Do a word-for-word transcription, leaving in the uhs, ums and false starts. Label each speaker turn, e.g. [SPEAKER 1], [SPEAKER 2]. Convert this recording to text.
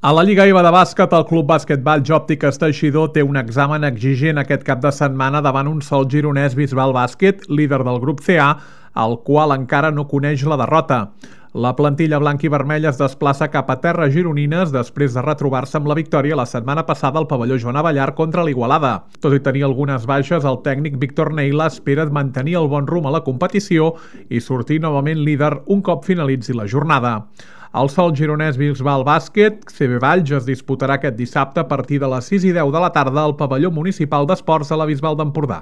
[SPEAKER 1] A la Lliga I B A de bàsquet, el Club Bàsquet Valls Òptiques Teixidor té un examen exigent aquest cap de setmana davant un Sol gironès Bisbal Bàsquet, líder del grup C A, el qual encara no coneix la derrota. La plantilla blanca i vermella es desplaça cap a terres gironines després de retrobar-se amb la victòria la setmana passada al pavelló Joan Abellar contra l'Igualada. Tot i tenir algunes baixes, el tècnic Víctor Neila espera mantenir el bon rumb a la competició i sortir novament líder un cop finalitzi la jornada. El Sol gironès Bisbal Bàsquet C B Valls es disputarà aquest dissabte a partir de les sis i deu de la tarda al pavelló municipal d'esports a la Bisbal d'Empordà.